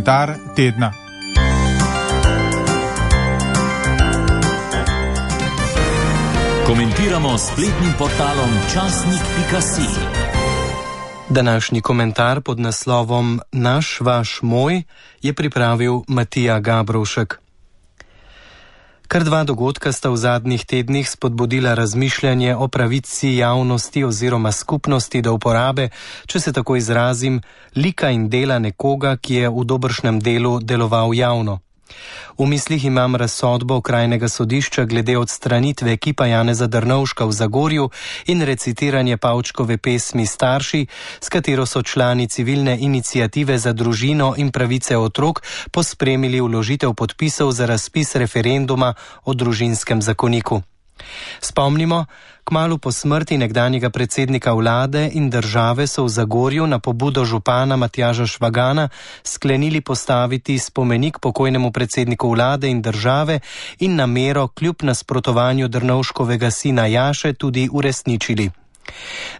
komentar tedna. Komentiramo spletnim portalom časnik.si. Današnji komentar pod naslovom Naš, vaš, moj je pripravil Matija Gabrovšek. Kar dva dogodka sta v zadnjih tednih spodbudila razmišljanje o pravici javnosti oziroma skupnosti do uporabe, če se tako izrazim, lika in dela nekoga, ki je v dobršnem delu deloval javno. V mislih imam razsodbo Okrajnega sodišča glede odstranitve ekipa Janeza Drnovška v Zagorju in recitiranje Pavčkove pesmi Starši, s katero so člani civilne iniciative za družino in pravice otrok pospremili vložitev podpisov za razpis referenduma o družinskem zakoniku. Spomnimo, kmalu po smrti nekdanjega predsednika vlade in države so v Zagorju na pobudo župana Matjaža Švagana sklenili postaviti spomenik pokojnemu predsedniku vlade in države in namero kljub nasprotovanju Drnovškovega sina Jaše tudi uresničili.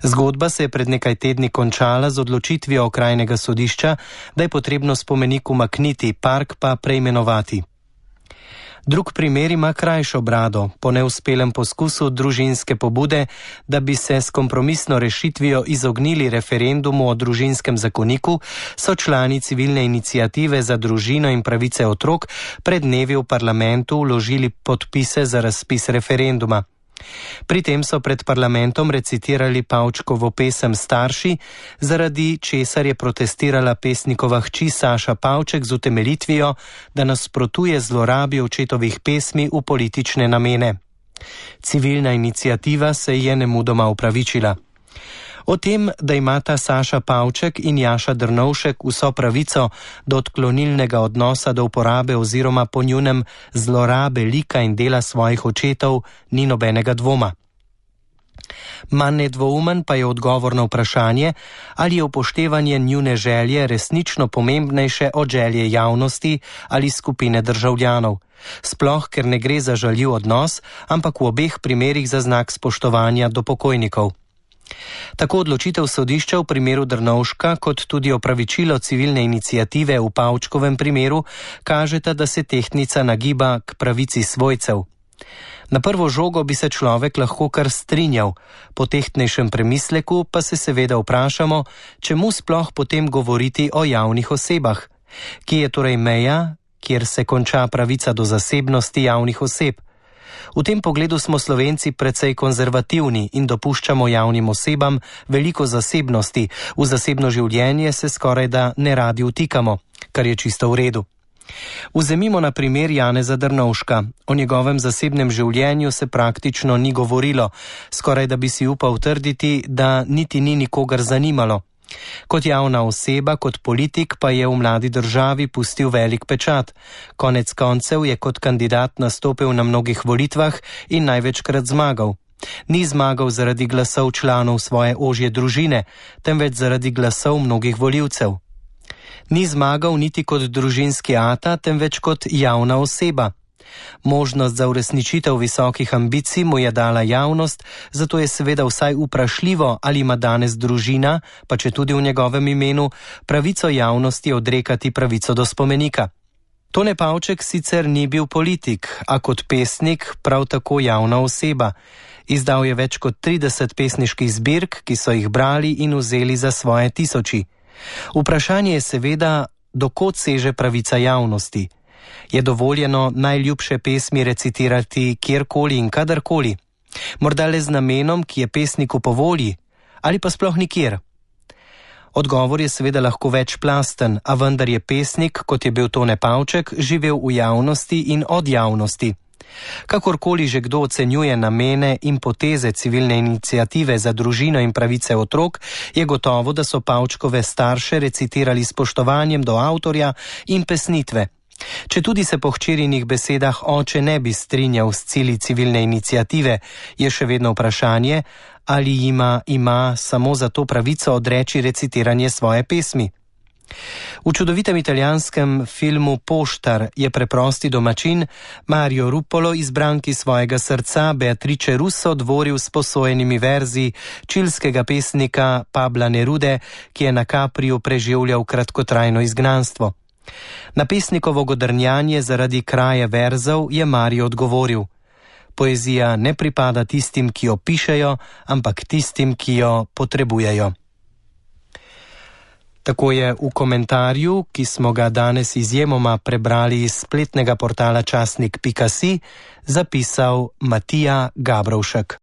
Zgodba se je pred nekaj tedni končala z odločitvijo Okrajnega sodišča, da je potrebno spomenik umakniti, park pa preimenovati. Drug primer ima krajšo brado. Po neuspelem poskusu družinske pobude, da bi se s kompromisno rešitvijo izognili referendumu o družinskem zakoniku, so člani civilne iniciative za družino in pravice otrok pred dnevi v parlamentu vložili podpise za razpis referenduma. Pri tem so pred parlamentom recitirali Pavčkovo pesem Starši, zaradi česar je protestirala pesnikova hči Saša Pavček z utemeljitvijo, da nasprotuje zlorabi očetovih pesmi v politične namene. Civilna iniciativa se je nemudoma opravičila. O tem, da imata Saša Pavček in Jaša Drnovšek vso pravico do odklonilnega odnosa do uporabe oziroma po njunem zlorabe lika in dela svojih očetov, ni nobenega dvoma. Manj nedvoumen pa je odgovor na vprašanje, ali je upoštevanje njune želje resnično pomembnejše od želje javnosti ali skupine državljanov. Sploh, ker ne gre za žaljiv odnos, ampak v obeh primerih za znak spoštovanja do pokojnikov. Tako odločitev sodišča v primeru Drnovška, kot tudi opravičilo civilne iniciative v Pavčkovem primeru, kažeta, da se tehtnica nagiba k pravici svojcev. Na prvo žogo bi se človek lahko kar strinjal, po tehtnejšem premisleku pa se seveda vprašamo, čemu sploh potem govoriti o javnih osebah. Kje je torej meja, kjer se konča pravica do zasebnosti javnih oseb? V tem pogledu smo Slovenci precej konzervativni in dopuščamo javnim osebam veliko zasebnosti, v zasebno življenje se skorajda ne radi vtikamo, kar je čisto v redu. Vzemimo na primer Janeza Drnovška. O njegovem zasebnem življenju se praktično ni govorilo, skorajda bi si upal trditi, da niti ni nikogar zanimalo. Kot javna oseba, kot politik pa je v mladi državi pustil velik pečat. Konec koncev je kot kandidat nastopil na mnogih volitvah in največkrat zmagal. Ni zmagal zaradi glasov članov svoje ožje družine, temveč zaradi glasov mnogih volivcev. Ni zmagal niti kot družinski ata, temveč kot javna oseba. Možnost za uresničitev visokih ambicij mu je dala javnost, zato je seveda vsaj vprašljivo, ali ima danes družina, pa če tudi v njegovem imenu, pravico javnosti odrekati pravico do spomenika. Tone Pavček sicer ni bil politik, a kot pesnik prav tako javna oseba. Izdal je več kot 30 pesniških zbirk, ki so jih brali in vzeli za svoje tisoči. Vprašanje je seveda, do kod seže pravica javnosti. Je dovoljeno najljubše pesmi recitirati kjerkoli in kadarkoli? Morda le z namenom, ki je pesniku po volji, ali pa sploh nikjer? Odgovor je seveda lahko večplasten, a vendar je pesnik, kot je bil Tone Pavček, živel v javnosti in od javnosti. Kakorkoli že kdo ocenjuje namene in poteze civilne iniciative za družino in pravice otrok, je gotovo, da so Pavčkove starše recitirali spoštovanjem do avtorja in pesnitve. Če tudi se po hčerinih besedah oče ne bi strinjal s cilji civilne iniciative, je še vedno vprašanje, ali ima samo za to pravico odreči recitiranje svoje pesmi. V čudovitem italijanskem filmu Poštar je preprosti domačin Mario Ruppolo izbranki svojega srca Beatrice Russo dvoril s posojenimi verzi čilskega pesnika Pabla Nerude, ki je na Capriu preživljal kratkotrajno izgnanstvo. Na pesnikovo godrnjanje zaradi kraje verzov je Mario odgovoril: poezija ne pripada tistim, ki jo pišejo, ampak tistim, ki jo potrebujejo. Tako je v komentarju, ki smo ga danes izjemoma prebrali iz spletnega portala časnik.si, zapisal Matija Gabrovšek.